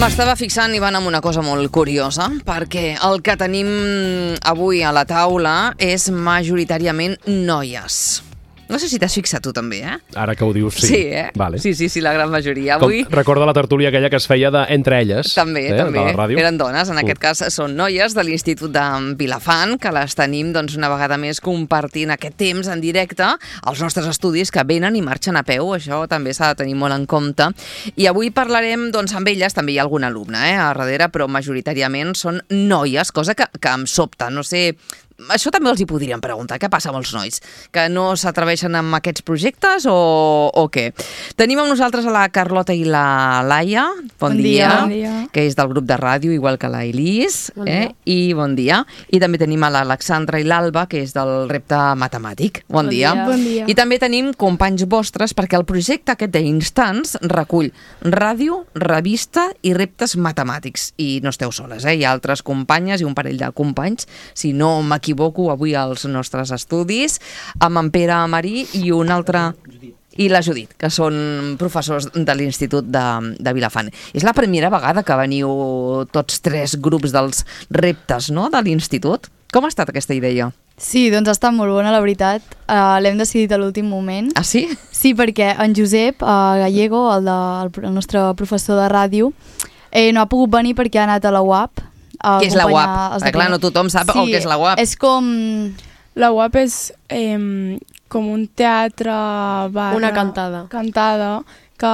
M'estava fixant, Ivan, en una cosa molt curiosa, perquè el que tenim avui a la taula és majoritàriament noies. No sé si t'has fixat tu també, eh? Ara que ho dius, sí. Sí, eh? Vale. Sí, la gran majoria. Avui... Recorda la tertúlia aquella que es feia entre elles. També. De la ràdio. Eren dones, en aquest cas són noies de l'Institut de Vilafant, que les tenim una vegada més compartint aquest temps en directe als nostres estudis, que venen i marxen a peu, això també s'ha de tenir molt en compte. I avui parlarem amb elles, també hi ha algun alumne a darrere, però majoritàriament són noies, cosa que em sobta, no sé... Això també els hi podríem preguntar, què passa amb els nois? Que no s'atreveixen amb aquests projectes o què? Tenim amb nosaltres a la Carlota i la Laia, bon dia, que és del grup de ràdio, igual que la Elis, i bon dia. I també tenim a l'Alexandra i l'Alba, que és del repte matemàtic. Bon dia. I també tenim companys vostres, perquè el projecte aquest d'Instants recull ràdio, revista i reptes matemàtics. I no esteu soles, hi ha altres companyes i un parell de companys, si no m'equivoco, avui als nostres estudis, amb en Pere Marí i un altre... i la Judit, que són professors de l'Institut de Vilafant. És la primera vegada que veniu tots tres grups dels reptes, no?, de l'Institut. Com ha estat aquesta idea? Sí, doncs ha estat molt bona, la veritat. L'hem decidit a l'últim moment. Ah, sí? Sí, perquè en Josep Gallego, el nostre professor de ràdio, no ha pogut venir perquè ha anat a la UAP. Què és la UAP? Clar, no tothom sap el que és la UAP. És com... La UAP és com un teatre barra... Una cantada. Cantada que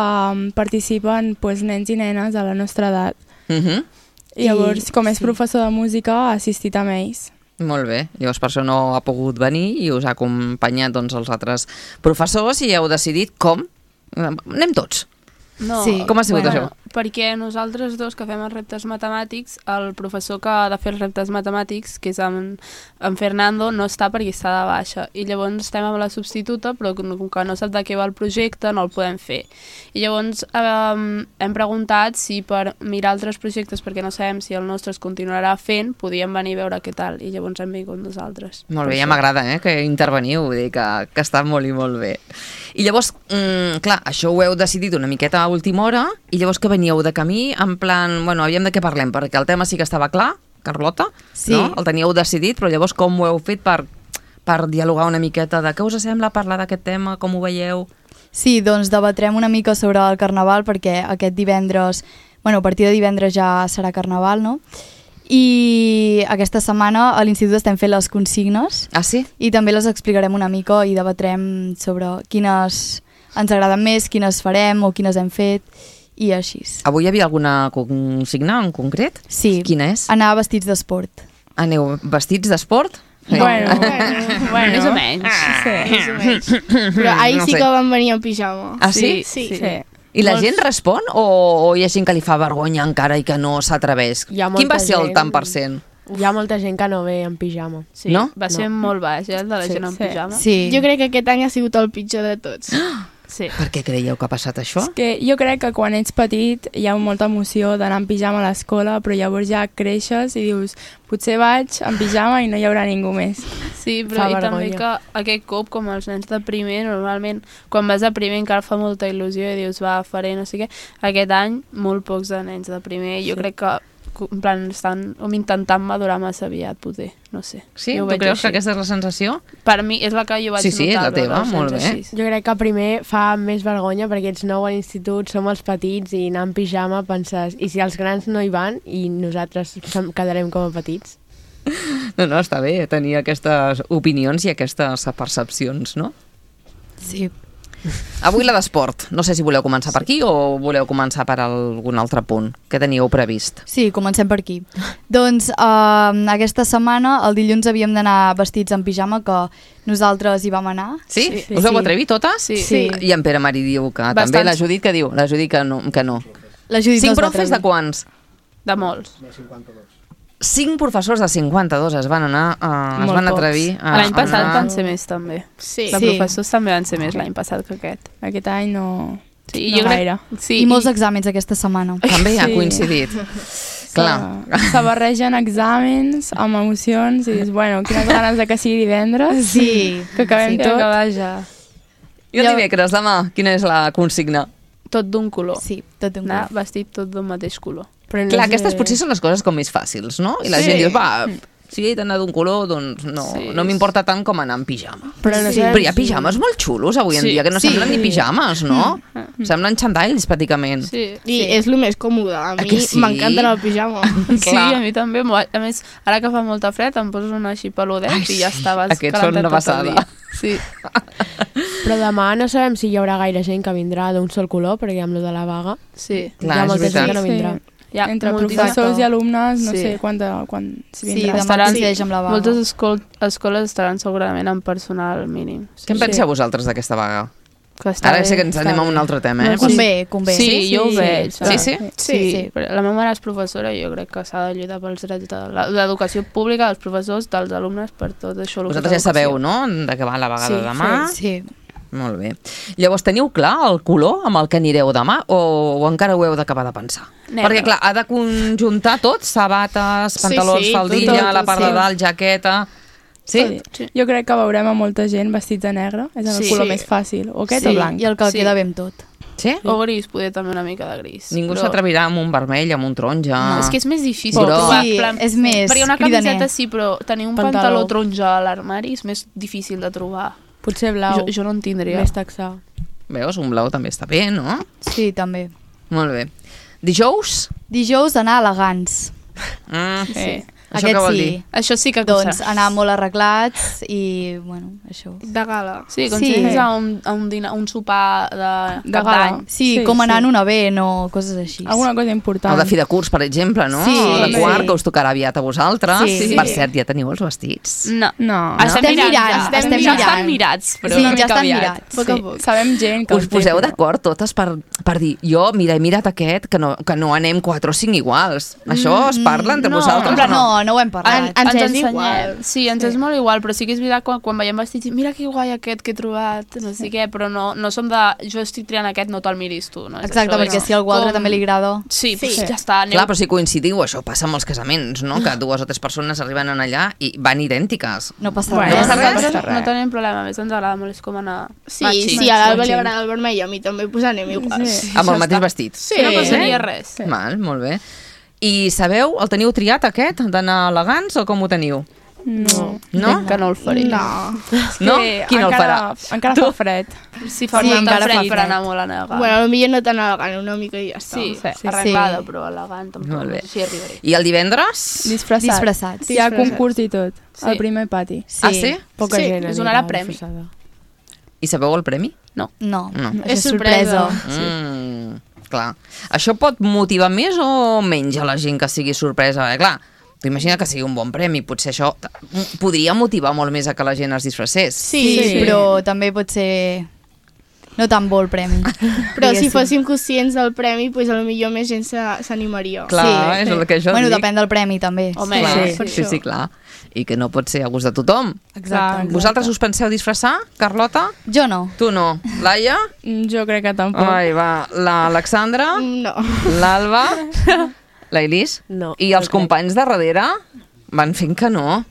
participen nens i nenes a la nostra edat. I llavors, com és professor de música, ha assistit amb ells. Molt bé. Llavors, per això no ha pogut venir i us ha acompanyat els altres professors i heu decidit com? Anem tots. No, sí. Com ha sigut això? Perquè nosaltres dos que fem els reptes matemàtics, el professor que ha de fer els reptes matemàtics, que és en Fernando, no està perquè està de baixa. I llavors estem amb la substituta, però com que no sap de què va el projecte, no el podem fer. I llavors hem preguntat si per mirar altres projectes, perquè no sabem si el nostre es continuarà fent, podíem venir a veure què tal. I llavors hem vingut nosaltres. Molt bé, ja m'agrada que interveniu, vull dir que està molt i molt bé. I llavors, clar, això ho heu decidit una miqueta a última hora, i llavors que veníeu de camí, en plan, bueno, aviam de què parlem, perquè el tema sí que estava clar, Carlota, sí. No? El teníeu decidit, però llavors com ho heu fet per dialogar una miqueta de què us sembla parlar d'aquest tema, com ho veieu? Sí, doncs debatrem una mica sobre el Carnaval, perquè aquest divendres, bueno, a partir de divendres ja serà Carnaval, no? I aquesta setmana a l'Institut estem fent les consignes. Ah, sí? I també les explicarem una mica i debatrem sobre quines ens agraden més, quines farem o quines hem fet i així. Avui hi havia alguna consigna en concret? Sí. Quina és? Anar vestits d'esport. Aneu vestits d'esport? Bueno, més o menys. Sí, més o menys. Però ahir sí que van venir en pijama. Ah, sí? Sí. I la gent respon o hi ha gent que li fa vergonya encara i que no s'atreveix? Quin va ser el tant per cent? Hi ha molta gent que no ve en pijama. Sí, no? Va ser molt baix, el de la gent en pijama. Sí. Jo crec que aquest any ha sigut el pitjor de tots. Sí. Per què creieu que ha passat això? És que jo crec que quan ets petit hi ha molta emoció d'anar en pijama a l'escola, però llavors ja creixes i dius, potser vaig en pijama i no hi haurà ningú més. Sí, però i també que aquest cop, com els nens de primer, normalment quan vas a primer encara fa molta il·lusió i dius, va, faré no sé què. Aquest any, molt pocs de nens de primer. Jo crec que en plan, estan intentant madurar massa aviat, potser, no sé. Sí? Tu creus que aquesta és la sensació? Per mi és la que jo vaig notar. Sí, és la teva, molt bé. Jo crec que primer fa més vergonya perquè ets nou a l'institut, som els petits i anar en pijama penses, i si els grans no hi van i nosaltres quedarem com a petits? No, està bé tenir aquestes opinions i aquestes percepcions, no? Sí. Avui la d'esport. No sé si voleu començar per aquí o voleu començar per algun altre punt que teníeu previst. Sí, comencem per aquí. Doncs aquesta setmana, el dilluns, havíem d'anar vestits en pijama, que nosaltres hi vam anar. Sí? Us heu atrevit totes? Sí. I en Pere Marí diu que també. La Judit que diu? La Judit que no. La Judit 5 profes de quants? De molts. De 52. 5 professors de 52 es van anar, es van atrevir. L'any passat van ser més, també. Sí. De professors també van ser més l'any passat que aquest. Aquest any no... Sí, no jo gaire. Sí, I molts exàmens aquesta setmana. També ha coincidit. Clar. Se barregen exàmens amb emocions i dius, bueno, quines ganes de que sigui divendres. Sí. Que acabem tot. acabar ja. I el dimecres, demà, quina és la consigna? tot d'un color. Sí, tot un Anar color. vestit tot d'un mateix color. Però no Clar, sé- aquestes potser són les coses com més fàcils, no? I la gent diu, va, si he d'anar d'un color, doncs no m'importa tant com anar en pijama. Però no sé Però hi ha pijames molt xulos avui en dia, que no semblen ni pijames, no? Semblen xandalls, pràcticament. Sí. I és el més còmode. A mi que sí? m'encanta el pijama. Sí, a mi també. A més, ara que fa molta fred, em poso una així peludet i ja està, vas aquests són calentat una tot el passada. dia. Sí. Però demà no sabem si hi haurà gaire gent que vindrà d'un sol color, perquè amb lo de la vaga Sí. Clar, hi ha és molta gent veritat. que no vindrà. Hi ha Entre moltíssima- professors i alumnes, no Sí. sé quan Sí, vindrà. demà Estaran- coincideix amb la vaga. Moltes escoles estaran segurament amb personal mínim. Què en penseu vosaltres d'aquesta vaga? Que està Ara bé, sé que ens està anem a bé. un altre tema, eh? Convé. Sí, jo ho veig. Sí? Sí. Però la meva mare és professora i jo crec que s'ha de lluitar pels drets de l'educació pública, dels professors, dels alumnes, per tot això. Vosaltres ja sabeu, no?, de què va la vaga de demà. Sí. Molt bé. Llavors, teniu clar el color amb el que anireu demà o encara ho heu d'acabar de pensar? Negre. Perquè, clar, ha de conjuntar tot, sabates, pantalons, sí, faldilla, tot, la part de sí. dalt, jaqueta... Sí? Jo crec que veurem a molta gent vestits de negre, és el Sí. color Sí. més fàcil, o aquest Sí, o blanc. i el que Sí. queda bé amb tot. Sí? O gris, poder també una mica de gris. Ningú Però s'atrevirà amb un vermell, amb un taronja... És que és més difícil Però- trobar. Sí, plan, és més perquè una cridaner. camiseta sí, però tenir un pantaló taronja a l'armari és més difícil de trobar. Potser blau, Jo no en tindria. més taxar. Veus, un blau també està bé, no? Sí, també. Molt bé. Dijous? Dijous anar elegants. Sí. Això què vol dir? Això sí que Doncs anar molt arreglats i, bueno, això. De gala. Sí, com Sí. si anés a un sopar de cap gala. d'any. Sí, Sí, com anar sí. en una vent o coses així. Alguna cosa important. El de fi de curs, per exemple, no? Sí, el de sí. quart, que us tocarà aviat a vosaltres. Sí. Per cert, ja teniu els vestits. No. No. Estem mirant, ja. estem Ja mirant. estan mirats, però Sí, una ja mica estan aviat. mirats. Poc a poc. Sabem gent que Us el té, poseu però- d'acord totes per dir, jo, mira, he mirat aquest, que no anem 4 o 5 iguals. Això es parla entre no, vosaltres? en plan, No, no ho hem parlat. Ens és ensenyem. igual. Sí, ens és molt igual, però sí que és veritat quan veiem vestits i mira que guai aquest que he trobat, no sé què, però no som de jo estic triant aquest, no te'l miris tu. No és Exacte, això, perquè no. si a algú altre també li agrada... Sí, pues ja està. Clar, però si coincidiu, això passa amb els casaments, no? Que 2 o 3 persones arriben allà i van idèntiques. No passa Bueno, res. no passa Nosaltres res. no tenim problema, a més ens agrada molt, és com anar... Sí, matxi. si a l'Alba li Matxi. agrada el vermell, a mi també, pues anem igual. Sí. Amb el mateix vestit. Sí. No passaria res. Val, molt bé. I sabeu, el teniu triat aquest, d'anar elegants, o com ho teniu? No. No? Crec que no el faria. No. No? Que Qui no el encara- farà? Encara fa fred. Si fa Sí, molt de encara fa fred per fred. anar molt elegant. Bueno, potser no tan elegant, una mica i ja està. Sí, Sí. arreglada, però elegant tampoc. Molt bé. No sé si arribaré. I el divendres? Disfressats. Hi ha concurs i tot, Sí. al primer pati. Sí. Ah, sí? Poca Sí, gent us anirà donarà premi. disfressada. I sabeu el premi? No, No. això És és sorpresa. Clar. Això pot motivar més o menys a la gent que sigui sorpresa? Clar, t'imagina que sigui un bon premi, potser això podria motivar molt més a que la gent es disfressés. Sí, però també pot ser no tan bo el premi. Però si diguéssim. fóssim conscients del premi, pues potser més gent s'animaria. Clar, és el que jo Bueno, dic. depèn del premi també. Home, Clar, sí. sí, clar. I que no pot ser a gust de tothom. Exacte. Vosaltres us penseu disfressar, Carlota? Jo no. Tu no. Laia? Jo crec que tampoc. Ai, va. L'Alexandra? No. L'Alba? La Elis? No. I els companys de darrere van fent que no.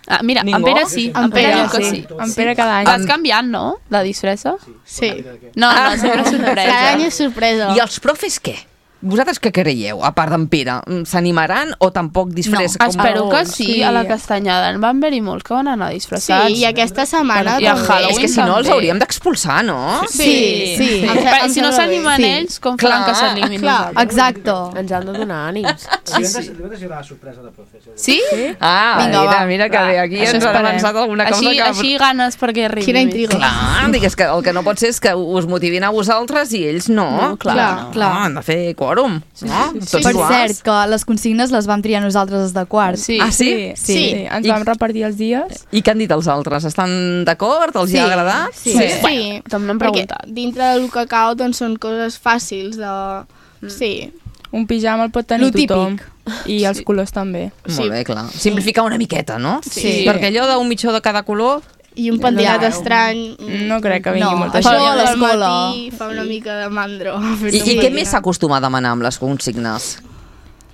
Ah, mira, Ningú? en Pere sí. En Pere diu que sí. En Pere cada any. Vas canviant, no? La disfressa? Sí. No, sempre sorpresa. Cada any és sorpresa. I els profes què? Vosaltres què creieu, a part d'en Pere? S'animaran o tampoc disfressa? No, Espero que sí, Sí. a la Castanyada. En van haver-hi molts que van anar disfressats. Sí, i aquesta setmana I a també. Halloween És que si no els també. hauríem d'expulsar, no? Sí. Però si no s'animen Sí. ells, com Clar, faran que s'animin clar. nosaltres? Exacte. Ens han de donar ànims. Divendres hi haurà la sorpresa de professor. Sí? Ah, Vinga, mira, va. mira que bé, aquí Això ens han esperem. avançat alguna cosa Així, que... així ganes perquè arribi. Quina intriga. Clar, digues que el que no pot ser és que us motivin a vosaltres i ells no. No, clar, clar. Han de fer quòrum, no? Tots Per iguals. cert, que les consignes les vam triar nosaltres des de quart. Sí. Ah, sí? Sí. Ens I- vam repartir els dies. I què han dit els altres? Estan d'acord? Els hi ha agradat? Sí. Sí. També n'hem Perquè preguntat. dintre del cacao doncs, són coses fàcils de... Sí. Un pijama el pot tenir Lo típic. tothom. I els colors també. Molt bé, clar. Simplificar una miqueta, no? Sí. Perquè allò d'un mitjó de cada color... I un pentinat Ja. estrany... No crec que vingui No, molta això gent. a l'escola. Fa una mica de mandro. I què més s'acostuma a demanar amb les consignes?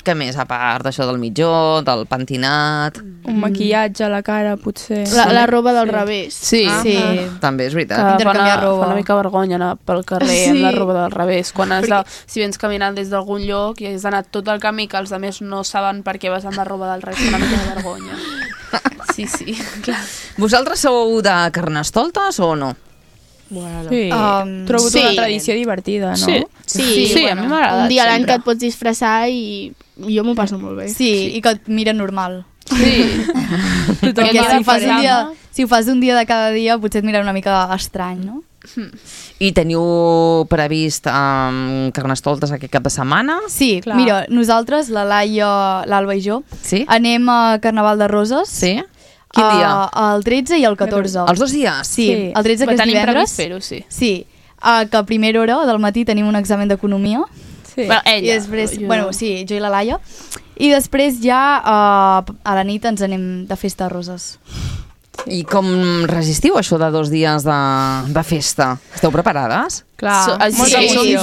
què més, a part d'això del mitjó, del pentinat? Un maquillatge a la cara, potser. La roba del revés. Sí. Sí. També és Que veritat. Intercanviar roba. fa una mica vergonya anar pel carrer amb la roba del revés. Quan has de, si vens caminant des d'algun lloc i has d'anar tot el camí que els altres no saben per què vas amb la roba del revés, fa una mica de vergonya. Sí, clar. Vosaltres sou de Carnestoltes o no? Bueno, Sí, trobo una tradició divertida, no? Sí, a mi m'agrada. Un dia a l'any sempre. que et pots disfressar i jo m'ho passo molt bé. Sí, i que et miren normal. Sí. Perquè Tothom si ho fas un dia de cada dia potser et miren una mica estrany, no? I teniu previst Carnestoltes aquest cap de setmana? Sí, Clar. mira, nosaltres, la Laia, l'Alba i jo, Sí? anem a Carnaval de Roses. Sí? Quin dia? El 13 i el 14. Els 2 dies? Sí, el 13 que és Tenim divendres. previst fer-ho, sí. Sí, que a primera hora del matí tenim un examen d'economia. Sí. Bueno, I ella. després, jo bueno, no. sí, jo i la Laia. I després ja a la nit ens anem de festa a Roses. I com resistiu això de 2 dies de festa? Esteu preparades? Clar, Molta Sí, emoció. sí,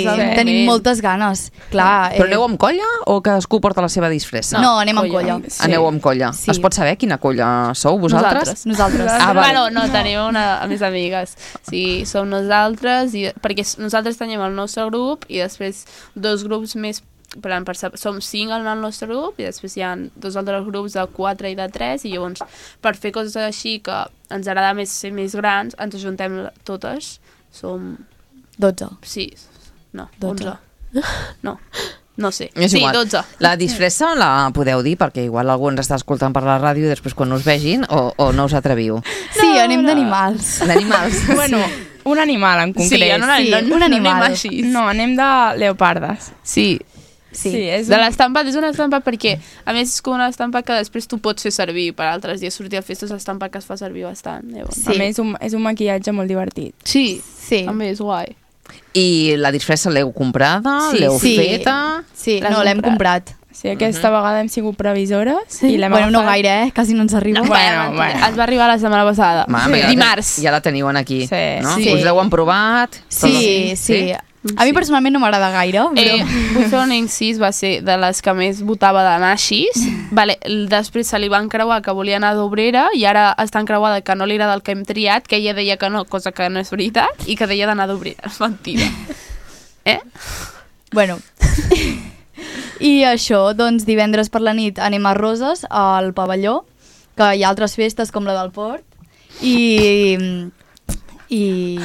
joves, tenim moltes ganes. Clar, Però aneu amb colla o cadascú porta la seva disfressa? No, anem amb colla. Sí. Aneu amb colla. Sí. Es pot saber quina colla sou vosaltres? Nosaltres. Ah, val. Bueno, no, tenim a més amigues. Sí, som nosaltres, perquè nosaltres tenim el nostre grup i després 2 grups més, som 5 en el nostre grup i després hi ha 2 altres grups de 4 i de 3 i llavors per fer coses així que ens agrada més ser més grans ens ajuntem totes. Som 12. Sí, no, 12. 11. No sé. És Sí, igual. 12. La disfressa la podeu dir perquè igual algú ens està escoltant per la ràdio i després quan us vegin o no us atreviu. Sí, anem d'animals. D'animals. Bueno, un animal en concret. Sí, un animal. anem així. No, anem de leopardes. Sí, Sí. és de l'estampa, és una estampa perquè, a més, és com una estampa que després tu pots fer servir per altres dies. Sortir a festes, l'estampa que es fa servir bastant. Llavors. Sí. A més, és un maquillatge molt divertit. Sí, Sí. també és guai. I la disfressa l'heu comprada? Sí, l'heu sí. feta? Sí, L'has no, l'hem comprat. Sí, aquesta vegada hem sigut previsores i l'hem Bueno, no agafat. gaire, quasi no ens arriba. Bueno. Es va arribar la setmana passada. Dimarts. Ja la teniu aquí, Sí. no? Sí. Us l'heu provat? Sí. A mi personalment no m'agrada gaire, però... Vull fer un incís, va ser de les que més votava de Naixis. Vale, després se li van creuar que volia anar d'obrera i ara està encreuada que no li agrada el que hem triat, que ella deia que no, cosa que no és veritat, i que deia d'anar d'obrera. És mentida. Bueno. I això, doncs divendres per la nit anem a Roses, al pavelló, que hi ha altres festes com la del Port, i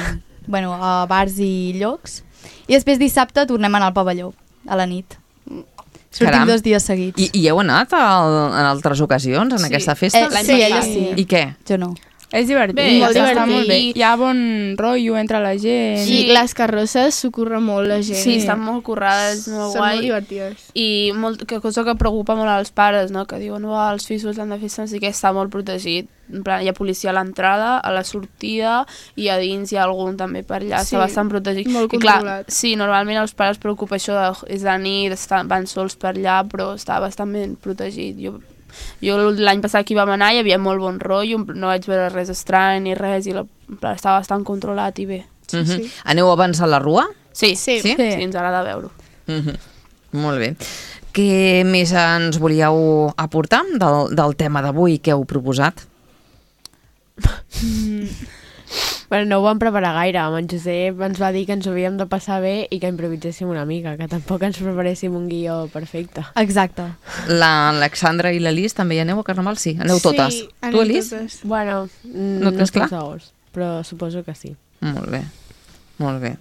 bueno, a bars i llocs. I després dissabte tornem a anar al pavelló, a la nit. Sortim Caram. 2 dies seguits. I heu anat en altres ocasions en aquesta festa? Sí, ella sí. I què? Jo no. És divertit. Bé, molt està divertit. molt bé. Hi ha bon rotllo entre la gent. I les carrosses s'ho curra molt la gent. Sí, estan molt currades, molt Són guai. molt divertides. I que cosa que preocupa molt als pares, no? Que diuen, els fills han de fer sí que està molt protegit. En plan, hi ha policia a l'entrada, a la sortida i a dins hi ha algun també per allà, Sí, està bastant protegit. molt I clar, controlat. sí, normalment els pares preocupa això és de nit, van sols per allà, però està bastant ben protegit. Jo l'any passat que hi vam anar hi havia molt bon rotllo, no vaig veure res estrany ni res, i estava bastant controlat i bé. Sí. Aneu abans a la rua? Sí, Sí. sí, ens agrada veure-ho. Molt bé. Què més ens volíeu aportar del tema d'avui que heu proposat? Bueno, no ho vam preparar gaire. En Josep ens va dir que ens ho havíem de passar bé i que improviséssim una mica, que tampoc ens preparéssim un guió perfecte. Exacte. L'Alexandra i l'Elis també hi aneu a Carnaval? Sí, aneu totes. Sí, Tu, Elis? totes. Bueno, No no tens clar? estem segurs, però suposo que sí. Molt bé, molt bé.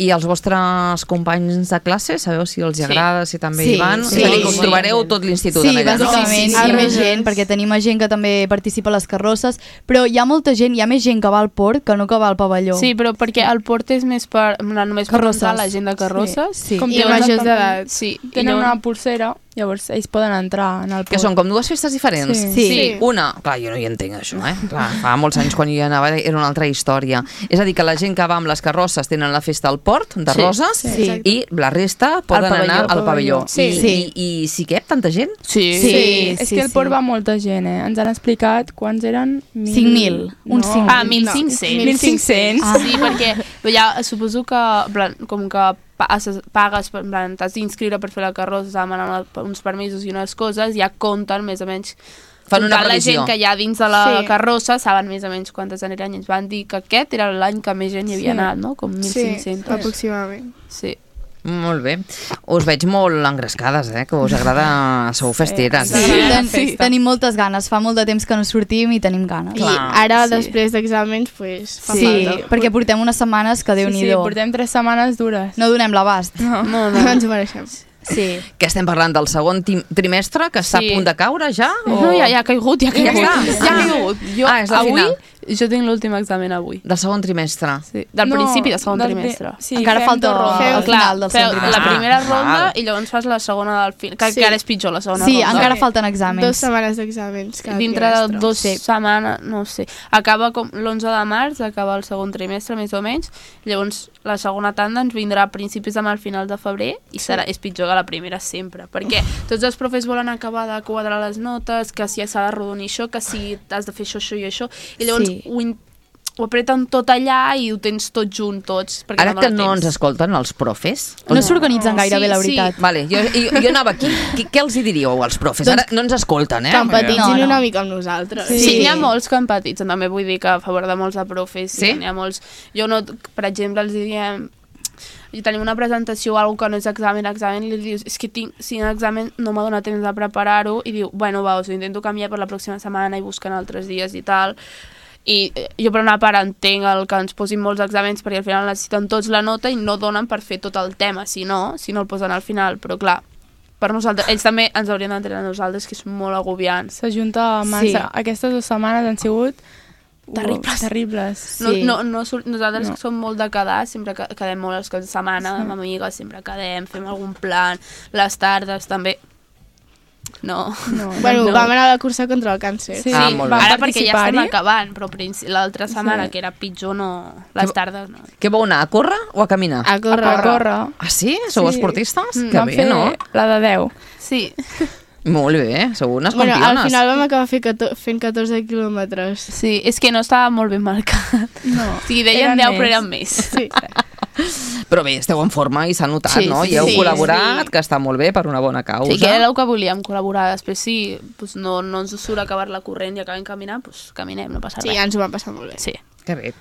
I els vostres companys de classe, sabeu si els agrada, si també Sí, hi van? sí. És a dir, que us Sí. trobareu tot l'institut Sí, en allà, no? bàsicament, Sí, hi ha sí. més gent, perquè tenim gent que també participa a les carrosses, però hi ha molta gent, hi ha més gent que va al port que no que va al pavelló. Sí, però perquè el port és més només per Carrosses. entrar la gent de carrosses. Sí. Com I tenen majors també- d'edat. Sí, Tenen una pulsera, llavors ells poden entrar en el Que port. són com dues festes diferents? Sí. Sí. Una, clar, jo no hi entenc això, Clar, fa molts anys quan jo hi anava era una altra història. És a dir, que la gent que va amb les carrosses tenen la festa al port de Sí. Roses Sí. i la resta poden pavelló, anar al pavelló. Sí. I sí que tanta gent? Sí. Sí. És que al port va molta gent, Ens han explicat quants eren... 5.000, uns 5.000. 1.500. 1.500. Ah. Sí, perquè ja suposo que, en plan, com que pagues, t'has d'inscriure per fer la carrossa, s'ha demanat uns permisos i unes coses, ja compten més o menys. Fan una la previsió. gent que hi ha dins de la carrossa saben més o menys quantes aniran i ens van dir que aquest era l'any que més gent hi havia anat, no? Com 1.500. Sí, aproximadament. Sí. Molt bé. Us veig molt engrescades, que us agrada... Sou festeres. Tenim moltes ganes. Fa molt de temps que no sortim i tenim ganes. I ara, després d'exàmens, pues, fa falta. Perquè portem unes setmanes que Déu-n'hi-do. Sí, portem 3 setmanes dures. No donem l'abast. No ens ho mereixem. Sí. Que estem parlant del segon trimestre, que està a punt de caure ja? No, ja ha caigut, ja ha caigut. És la final. Jo tinc l'últim examen avui. Del segon trimestre. Sí, del principi del segon trimestre. Sí, encara falta el final del segon trimestre. La primera ronda i llavors fas la segona del final, que ara és pitjor la segona ronda. Sí, encara falten exàmens. 2 setmanes d'exàmens cada dintre trimestre. de 2 setmanes, no sé. Acaba com l'11 de març, acaba el segon trimestre, més o menys. Llavors, la segona tanda ens vindrà a principis de març, finals de febrer, i és pitjor que la primera sempre, perquè tots els profes volen acabar de quadrar les notes, que si s'ha de rodonir això, que si has de fer això i això, i llavors ho apreten tot allà i ho tens tot junt, tots. Ara que no ens escolten els profes... No s'organitzen gaire bé, la veritat. Vale, jo anava aquí. Què els hi diríeu als profes? Ara no ens escolten, Que empatitzin una mica amb nosaltres. Sí, n'hi ha molts que empatitzen, també vull dir que a favor de molts de profes. Sí? N'hi ha molts... Jo no, per exemple, els diríem... I tenim una presentació o alguna que no és examen, i li dius, és que tinc 5 exàmens, no m'ha donat temps de preparar-ho, i diu, bueno, va, us ho intento canviar per la pròxima setmana i busquen altres dies i tal. I jo per una part entenc el que ens posin molts exàmens perquè al final necessiten tots la nota i no donen per fer tot el tema, si no el posen al final, però clar, per nosaltres, ells també ens haurien d'entendre a nosaltres, que és molt agobiant. S'ajunta massa. Aquestes 2 setmanes han sigut terribles. Sí. Nosaltres que som molt de quedar, sempre quedem molt els caps de setmana, amb amigues, sempre quedem, fem algun plan, les tardes també. No. Bueno, vam anar a la cursa contra el càncer. Sí, ara perquè ja estem acabant, però l'altra setmana, que era pitjor, no, les tardes no. Què vau anar, a córrer o a caminar? A córrer. Ah, sí? Sou esportistes? Que bé, no? Vam fer la de 10. Sí. Molt bé, sou unes campiones. Al final vam acabar fent 14 quilòmetres. Sí, és que no estava molt ben marcat. No. O sigui, deien 10, però eren més. Sí. Però bé, esteu en forma i s'ha notat, no? I heu col·laborat, que està molt bé, per una bona causa. Sí, que era el que volíem, col·laborar. Després, si no ens surt acabar-la corrent i acabem caminant, doncs caminem, no passa res. Sí, ja ens ho vam passar molt bé. Sí. Que bé.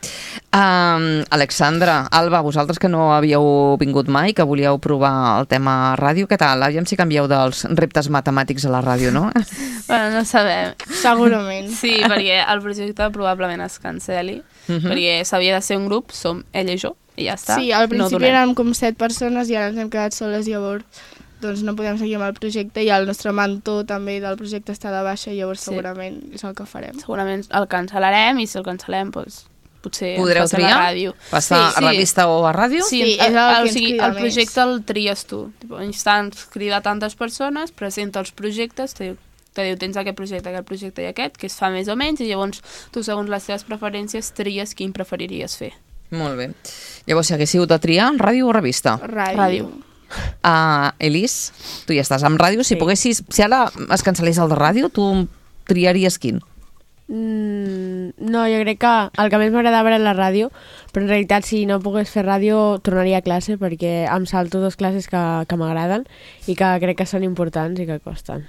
Alexandra, Alba, vosaltres que no havíeu vingut mai, que volíeu provar el tema ràdio, què tal? Aviam si canvieu dels reptes matemàtics a la ràdio, no? Bueno, no sabem. Segurament. Sí, perquè el projecte probablement es cancel·li, perquè s'havia de ser un grup, som ella i jo, i ja està. Sí, al principi érem com 7 persones i ara ens hem quedat soles, llavors doncs no podem seguir amb el projecte i el nostre mentor també del projecte està de baixa, llavors segurament és el que farem. Segurament el cancel·larem i si el cancel·lem, doncs potser podreu triar? A la ràdio. Passar a revista o a ràdio? Sí, el projecte el tries tu. Instants crida tantes persones, presenta els projectes, te diu tens aquest projecte i aquest, que es fa més o menys, i llavors tu segons les teves preferències tries quin preferiries fer. Molt bé. Llavors, si haguéssiu de triar, ràdio o revista? Ràdio. Elis, tu ja estàs amb ràdio, si poguessis, si ara es cancel·lés el de ràdio, tu triaries quin? No, jo crec que el que més m'agradava era la ràdio, però en realitat si no pogués fer ràdio tornaria a classe perquè em salto 2 classes que m'agraden i que crec que són importants i que costen.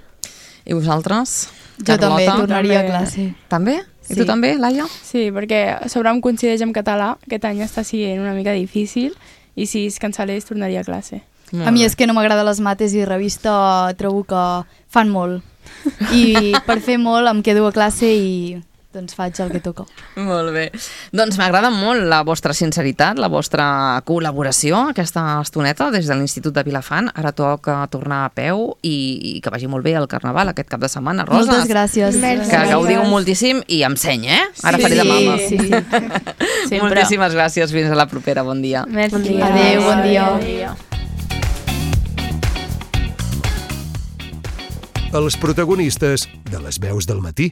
I vosaltres? Jo també tornaria a classe. També? I tu també, Laia? Sí, perquè sobre em coincideix amb català, aquest any està sent una mica difícil i si es cancel·lés tornaria a classe. A mi és que no m'agrada les mates i revista trobo que fan molt. I per fer molt em quedo a classe i doncs faig el que toca. Molt bé. Doncs m'agrada molt la vostra sinceritat, la vostra col·laboració, aquesta estoneta des de l'Institut de Vilafant. Ara toca tornar a peu i que vagi molt bé el Carnaval aquest cap de setmana. Roses, moltes gràcies. Que gaudiu moltíssim i em seny, Ara faré de mama. Sí. Moltíssimes gràcies. Fins a la propera. Bon dia. Bon dia. Adéu, bon dia. Els protagonistes de les veus del matí.